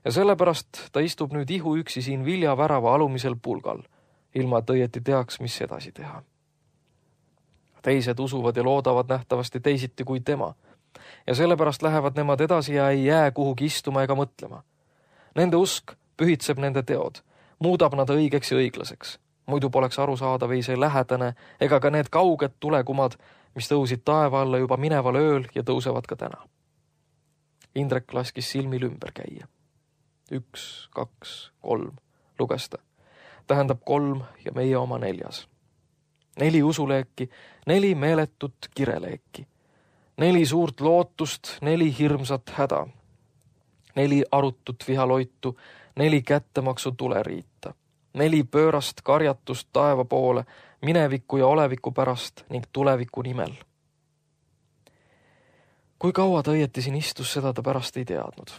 B: Ja sellepärast ta istub nüüd ihu üksi siin viljavärava alumisel pulgal, ilma et õieti teaks, mis edasi teha. Teised usuvad ja loodavad nähtavasti teisiti kui tema. Ja sellepärast lähevad nemad edasi ja ei jää kuhugi istuma ega mõtlema. Nende usk pühitseb nende teod, muudab nad õigeks ja õiglaseks. Muidu poleks arusaadav ei see lähedane ega ka need kauged tulekumad, mis tõusid taeva alla juba mineval ööl ja tõusevad ka täna. Indrek laskis silmil ümber käia. Üks, kaks, kolm, luges ta. Tähendab kolm ja meie oma neljas. Neli usuleeki, neli meeletut kireleeki. Neli suurt lootust, neli hirmsat häda. Neli arutut vihaloitu, neli kättemaksu tuleriita. Neli pöörast karjatust taeva poole, mineviku ja oleviku pärast ning tuleviku nimel. Kui kaua ta õieti siin istus, seda ta pärast ei teadnud.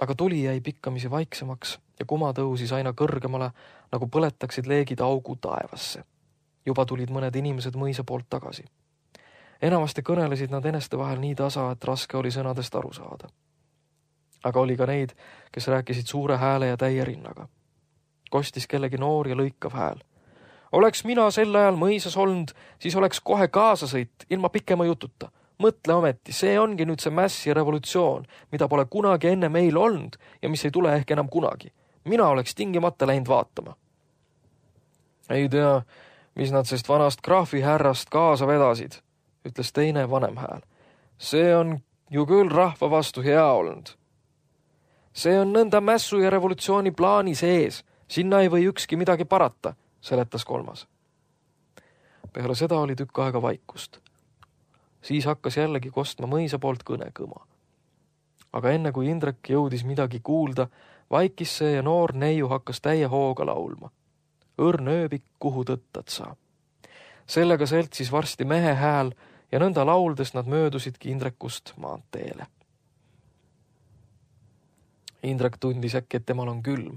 B: Aga tuli jäi pikkamisi vaiksemaks ja kuma tõusis aina kõrgemale, nagu põletaksid leegid augu taevasse. Juba tulid mõned inimesed mõisa poolt tagasi. Enamasti kõnelesid nad eneste vahel nii tasa, et raske oli sõnadest aru saada. Aga oli ka neid, kes rääkisid suure hääle ja täie rinnaga. Kostis kellegi noor ja lõikav hääl. Oleks mina sel ajal mõisas olnud, siis oleks kohe kaasasõit, ilma pikema jututa. Mõtle ometi, see ongi nüüd see mäss ja revolutsioon, mida pole kunagi enne meil olnud ja mis ei tule ehk enam kunagi. Mina oleks tingimata läinud vaatama. Ei tea, mis nad sest vanast graafi härrast kaasa vedasid, ütles teine vanem hääl. See on ju küll rahva vastu hea olnud. See on nõnda mässu ja revolutsiooni plaani sees. Sinna ei või ükski midagi parata, seletas kolmas. Peale seda oli tükk aega vaikust. Siis hakkas jällegi kostma mõisa poolt kõnekõma. Aga enne kui Indrek jõudis midagi kuulda, vaikis see ja noor neiu hakkas täie hooga laulma. Õrn ööbik, kuhu tõttad sa. Sellega seltsis varsti mehe hääl ja nõnda lauldes nad möödusidki Indrekust maanteele. Indrek tundis äkki, et temal on külm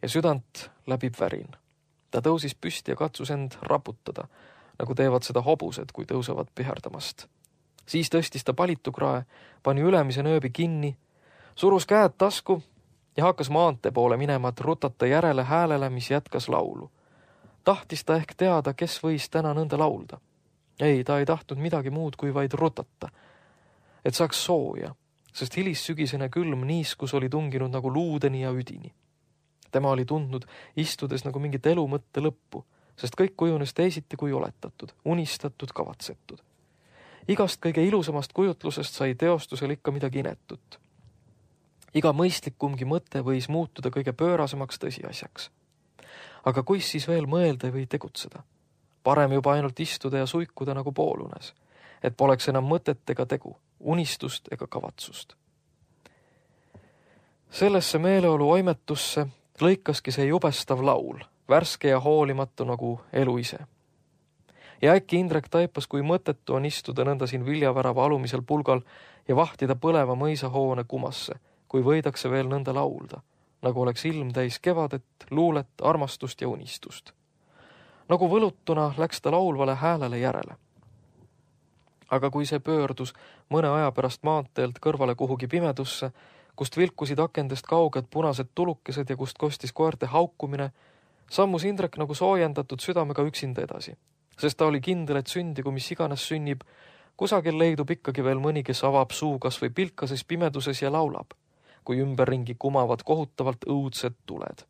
B: ja südant läbib värin. Ta tõusis püsti ja katsus end raputada, nagu teevad seda hobused, kui tõusevad piherdamast. Siis tõstis ta palitukrae, pani ülemise nööbi kinni, surus käed tasku ja hakkas maantee poole minema, et rutata järele häälele, mis jätkas laulu. Tahtis ta ehk teada, kes võis täna nõnda laulda. Ei, ta ei tahtnud midagi muud kui vaid rutata, et saaks sooja, sest hilissügisene külm niiskus oli tunginud nagu luudeni ja üdini. Tema oli tundnud istudes nagu mingit elu mõtte lõppu, sest kõik kujunes teisiti kui oletatud, unistatud, kavatsetud. Igast kõige ilusamast kujutlusest sai teostusel ikka midagi inetut. Iga mõistlikumgi mõte võis muutuda kõige pöörasemaks tõsiasjaks. Aga kuis siis veel mõelda või tegutseda? Parem juba ainult istuda ja suikuda nagu poolunes, et poleks enam mõtet ega tegu, unistust ega kavatsust. Sellesse meeleolu oimetusse lõikaski see jubestav laul, värske ja hoolimatu nagu elu ise. Ja äkki Indrek taipas, kui mõtetu on istuda nõnda siin viljavärava alumisel pulgal ja vahtida põleva mõisahoone kumasse, kui võidakse veel nõnda laulda, nagu oleks ilm täis kevadet, luulet, armastust ja unistust. Nagu võlutuna läks ta laulvale häälele järele. Aga kui see pöördus mõne aja pärast maanteelt kõrvale kuhugi pimedusse, kust vilkusid akendest kauged punased tulukesed ja kust kostis koerte haukumine, sammus Indrek nagu soojendatud südamega üksinda edasi, sest ta oli kindel, et sündigu mis iganes sünnib, kusagil leidub ikkagi veel mõni, kes avab suu kas või pilkases pimeduses ja laulab, kui ümberringi kumavad kohutavalt õudsed tuled.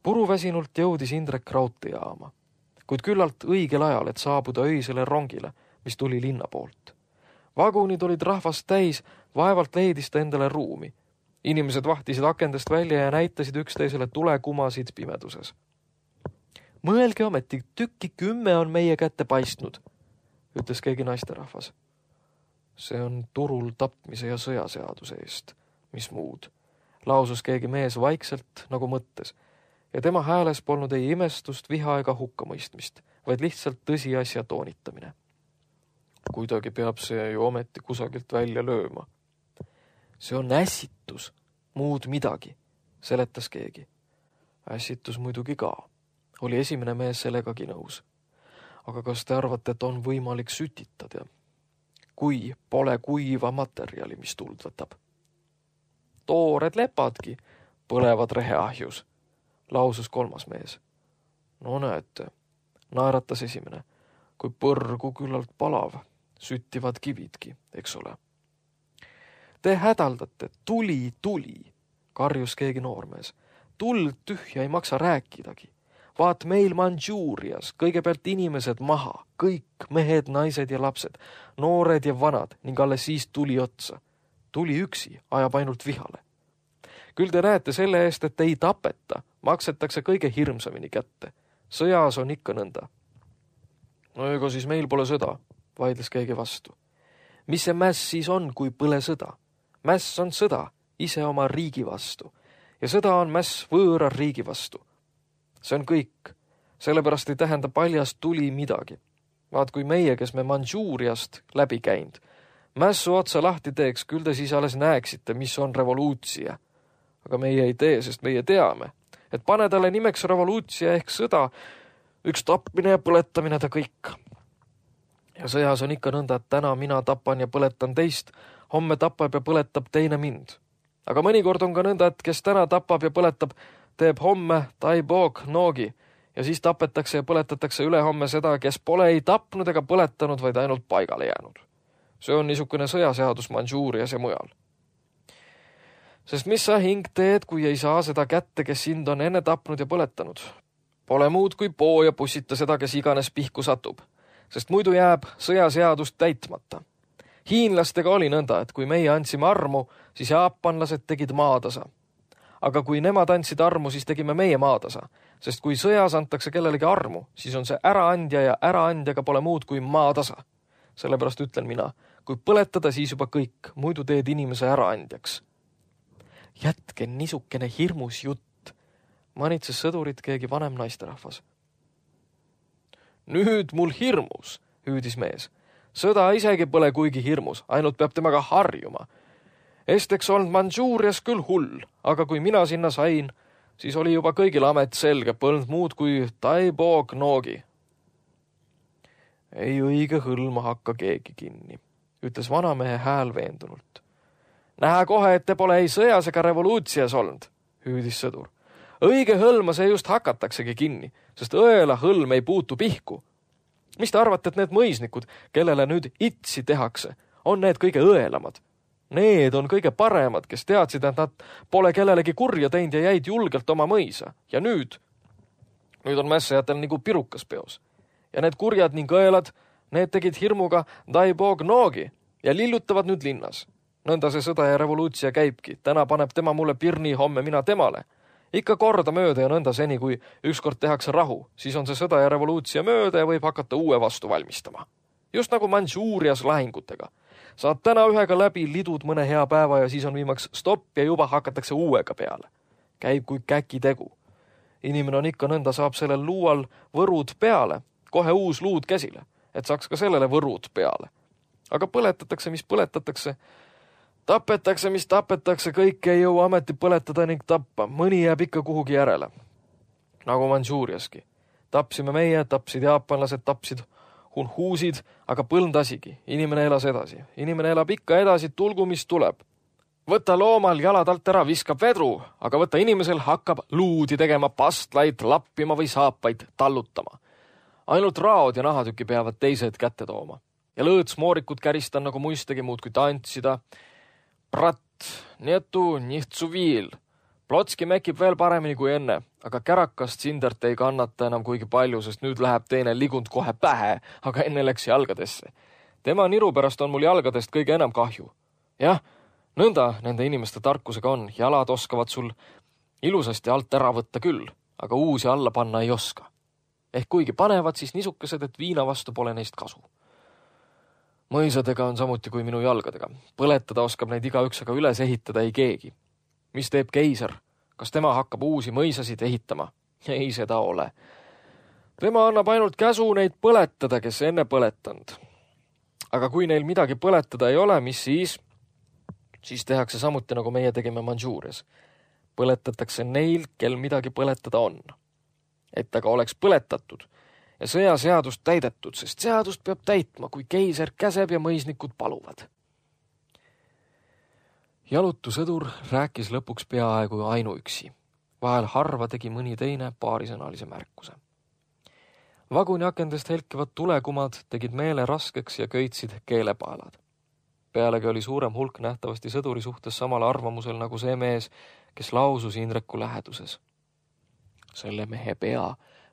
B: Puruväsinult jõudis Indrek raudteejaama, kuid küllalt õigel ajal, et saabuda öisele rongile, mis tuli linna poolt. Vagunid olid rahvast täis, vaevalt leidis ta endale ruumi. Inimesed vahtisid akendest välja ja näitasid üksteisele tulekumasid pimeduses. Mõelge ometi, tükki kümme on meie kätte paistnud, ütles keegi naisterahvas. See on turul tapmise ja sõjaseaduse eest, mis muud, lausus keegi mees vaikselt nagu mõttes ja tema hääles polnud ei imestust, viha ega hukkamõistmist, vaid lihtsalt tõsiasja toonitamine. Kuidagi peab see ju ometi kusagilt välja lööma. See on ässitus, muud midagi, seletas keegi. Ässitus muidugi ka. Oli esimene mees sellegagi nõus. Aga kas te arvate, et on võimalik sütitada? Kui pole kuiva materjali, mis tuld võtab? Toored lepadki põlevad reheahjus, lausus kolmas mees. No näete, naeratas esimene, kui põrgu küllalt palav, süttivad kividki, eks ole. Te hädaldate, tuli, tuli, karjus keegi noormees. Tuld tühja ei maksa rääkidagi. Vaat meil Mandžuurias kõigepealt inimesed maha, kõik mehed, naised ja lapsed, noored ja vanad ning alles siis tuli otsa. Tuli üksi, ajab ainult vihale. Küll te näete selle eest, et ei tapeta, maksetakse kõige hirmsamini kätte. Sõjas on ikka nõnda. No ega siis meil pole sõda, vaidles keegi vastu. Mis see mäss siis on, kui põle sõda? Mäss on sõda ise oma riigi vastu ja sõda on mäss võõra riigi vastu. See on kõik, sellepärast ei tähenda paljast tuli midagi. Vaat kui meie, kes me Mandžuuriast läbi käinud, mässu otsa lahti teeks, küll te siis alles näeksite, mis on revoluutsia. Aga meie ei tee, sest meie teame, et pane talle nimeks revoluutsia ehk sõda, üks tapmine ja põletamine ta kõik. Ja sõjas on ikka nõnda, et täna mina tapan ja põletan teist, homme tapab ja põletab teine mind. Aga mõnikord on ka nõnda, et kes täna tapab ja põletab, teeb homme taibog noogi ja siis tapetakse ja põletatakse ülehomme seda, kes pole ei tapnud ega põletanud, vaid ainult paigale jäänud. See on niisugune sõjaseadus Mandžuurias ja mujal. Sest mis sa hing teed, kui ei saa seda kätte, kes sind on enne tapnud ja põletanud? Pole muud kui poo ja pussita seda, kes iganes pihku satub, sest muidu jääb sõjaseadust täitmata. Hiinlastega oli nõnda, et kui meie andsime armu, siis jaapanlased tegid maatasa. Aga kui nemad andsid armu, siis tegime meie maatasa, sest kui sõjas antakse kellelegi armu, siis on see äraandja ja äraandjaga pole muud kui maatasa. Sellepärast ütlen mina, kui põletada, siis juba kõik, muidu teed inimese äraandjaks. Jätke niisukene hirmus jutt, manitses sõdurit keegi vanem naisterahvas. Nüüd mul hirmus, hüüdis mees. Sõda isegi pole kuigi hirmus, ainult peab temaga harjuma. Esteks olnud Mandžuurias küll hull, aga kui mina sinna sain, siis oli juba kõigil amet selge, polnud muud kui taibog noogi. Ei õige hõlma hakka keegi kinni, ütles vanamehe hääl veendunult. Näha kohe, et te pole ei sõjas ega revoluutsias olnud, hüüdis sõdur. Õige hõlma see just hakataksegi kinni, sest õela hõlm ei puutu pihku. Mis te arvate, et need mõisnikud, kellele nüüd itsi tehakse, on need kõige õelamad? Need on kõige paremad, kes teadsid, et nad pole kellelegi kurja teinud ja jäid julgelt oma mõisa. Ja nüüd, nüüd on mässajatel nagu pirukas peos. Ja need kurjad ning õelad, need tegid hirmuga taibog noogi ja lillutavad nüüd linnas. Nõnda see sõda ja revoluutsia käibki. Täna paneb tema mulle pirni, homme mina temale. Ikka korda mööda ja nõnda seni, kui ükskord tehakse rahu, siis on see sõda ja revoluutsia mööda ja võib hakata uue vastu valmistama. Just nagu Mandžuurias lahingutega. Saad täna ühega läbi, lidud mõne hea päeva ja siis on viimaks stopp ja juba hakatakse uuega peale. Käib kui käki tegu. Inimene on ikka nõnda, saab sellel luual võrud peale, kohe uus luud käsile, et saaks ka sellele võrud peale. Aga põletatakse, mis põletatakse, tapetakse, mis tapetakse, kõik ei jõua ameti põletada ning tappa. Mõni jääb ikka kuhugi järele. Nagu Mandžuuriaski. Tapsime meie, tapsid jaapanlased, tapsid hunhuusid, aga põlnd asigi. Inimene elas edasi. Inimene elab ikka edasi, tulgu mis tuleb. Võta loomal jalad alt ära, viskab vedru, aga võta inimesel hakkab luudi tegema, pastlaid lappima või saapaid tallutama. Ainult raod ja nahatüki peavad teised kätte tooma. Ja lõõtsmoorikud käristan nagu muistegi muud kui tantsida. Prat, nietu, nihtsu viil. Plotski mekib veel paremini kui enne, aga kärakast sindert ei kannata enam kuigi palju, sest nüüd läheb teine ligund kohe pähe, aga enne läks jalgadesse. Tema niru pärast on mul jalgadest kõige enam kahju. Jah, nõnda nende inimeste tarkusega on, jalad oskavad sul ilusasti alt ära võtta küll, aga uusi alla panna ei oska. Ehk kuigi panevad, siis niisukesed, et viina vastu pole neist kasu. Mõisadega on samuti kui minu jalgadega. Põletada oskab neid igaüks, aga üles ehitada ei keegi. mis teeb keiser? Kas tema hakkab uusi mõisasid ehitama? Ei, seda ole. Tema annab ainult käsu neid põletada, kes enne põletanud. Aga kui neil midagi põletada ei ole, mis siis? Siis tehakse samuti, nagu meie tegime Mandžuurias. Põletatakse neil, kel midagi põletada on. Et aga oleks põletatud ja sõjaseadust täidetud, sest seadust peab täitma, kui keiser käseb ja mõisnikud paluvad. Jalutusõdur rääkis lõpuks peaaegu ainuüksi. Vahel harva tegi mõni teine paarisõnalise märkuse. Vaguni akendest helkivad tulekumad tegid meele raskeks ja köitsid keelepaelad. Pealegi oli suurem hulk nähtavasti sõduri suhtes samal arvamusel nagu see mees, kes lausus Indreku läheduses. Selle mehe pea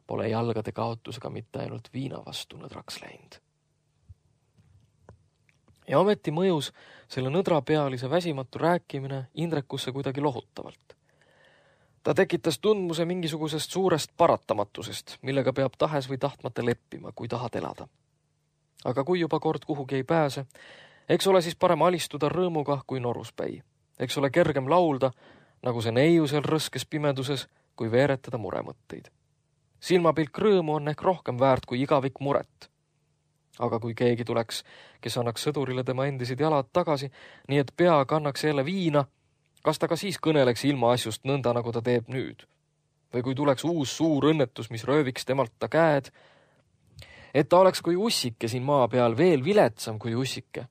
B: pole jalgade kaotusega mitte ainult viina vastu nõdraks läinud. Ja ometi mõjus selle nõdrapealise väsimatu rääkimine Indrekusse kuidagi lohutavalt. Ta tekitas tundmuse mingisugusest suurest paratamatusest, millega peab tahes või tahtmata leppima, kui tahad elada. Aga kui juba kord kuhugi ei pääse, eks ole siis parem alistuda rõõmuga kui noruspäi. Eks ole kergem laulda, nagu see neiusel rõskes pimeduses, kui veeretada muremõtteid. Silmapilk rõõmu on ehk rohkem väärt kui igavik muret. Aga kui keegi tuleks, kes annaks sõdurile tema endisid jalad tagasi, nii et pea kannaks jälle viina, kas ta ka siis kõneleks ilma asjust nõnda, nagu ta teeb nüüd? Või kui tuleks uus suur õnnetus, mis rööviks temalt ta käed, et ta oleks kui ussike siin maa peal veel viletsam kui ussike,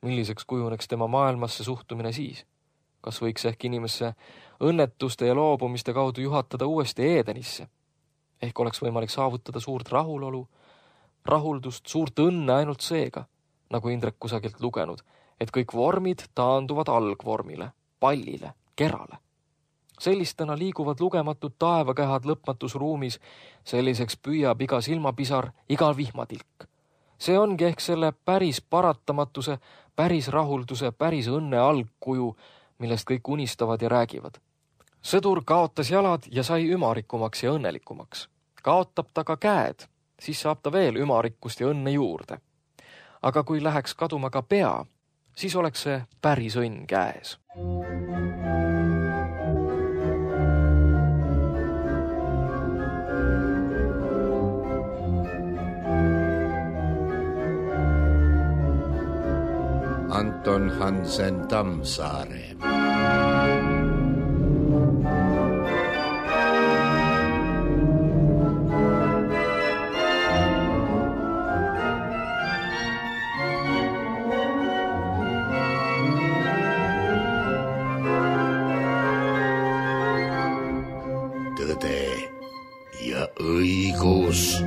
B: milliseks kujuneks tema maailmasse suhtumine siis? Kas võiks ehk inimesse õnnetuste ja loobumiste kaudu juhatada uuesti Eedenisse? Ehk oleks võimalik saavutada suurt rahulolu, rahuldust, suurt õnne ainult seega, nagu Indrek kusagilt lugenud, et kõik vormid taanduvad algvormile, pallile, kerale. Sellistena liiguvad lugematud taevakehad lõpmatus ruumis, selliseks püüab iga silmapisar, iga vihmatilk. See ongi ehk selle päris paratamatuse, päris rahulduse, päris õnne algkuju, millest kõik unistavad ja räägivad. Sõdur kaotas jalad ja sai ümarikumaks ja õnnelikumaks. Kaotab ta ka käed, siis saab ta veel ümarikkust ja õnne juurde. Aga kui läheks kaduma ka pea, siis oleks see päris õnn käes.
A: Anton Hansen Tammsaare. Tõde ja õigus.